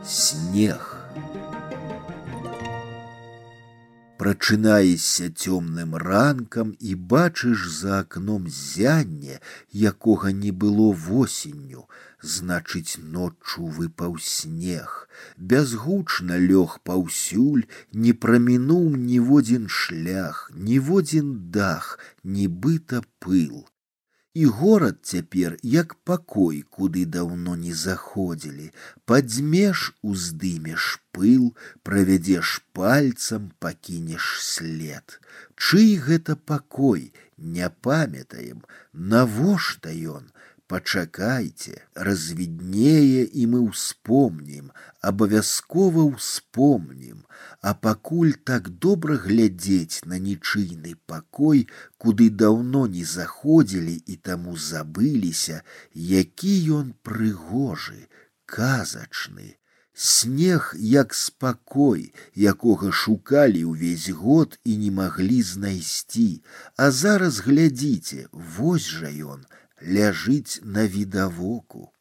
Снег. Прачынаешся цёмным ранкам і бачыш за акном зянне, якога не было восенню, значыць, ноччу выпаў снег. Бязгучна лёг паўсюль, не прамінуў ніводзін шлях, ніводзін дах, нібыта пыл. І горад цяпер, як пакой, куды даўно не заходзілі. Падзьмеш, уздымеш пыл, правядзеш пальцам, пакінеш след. Чый гэта пакой, не памятаем, навошта ён? Пачакайце, развіднее, і мы ўспомнім, абавязкова ўспомнім. А пакуль так добра глядзець на нічыйны пакой, куды даўно не заходзілі і таму забыліся, які ён прыгожы, казачны. Снег як спакой, якога шукалі ўвесь год і не маглі знайсці. А зараз глядзіце, вось жа ён, ляжыць на відавоку.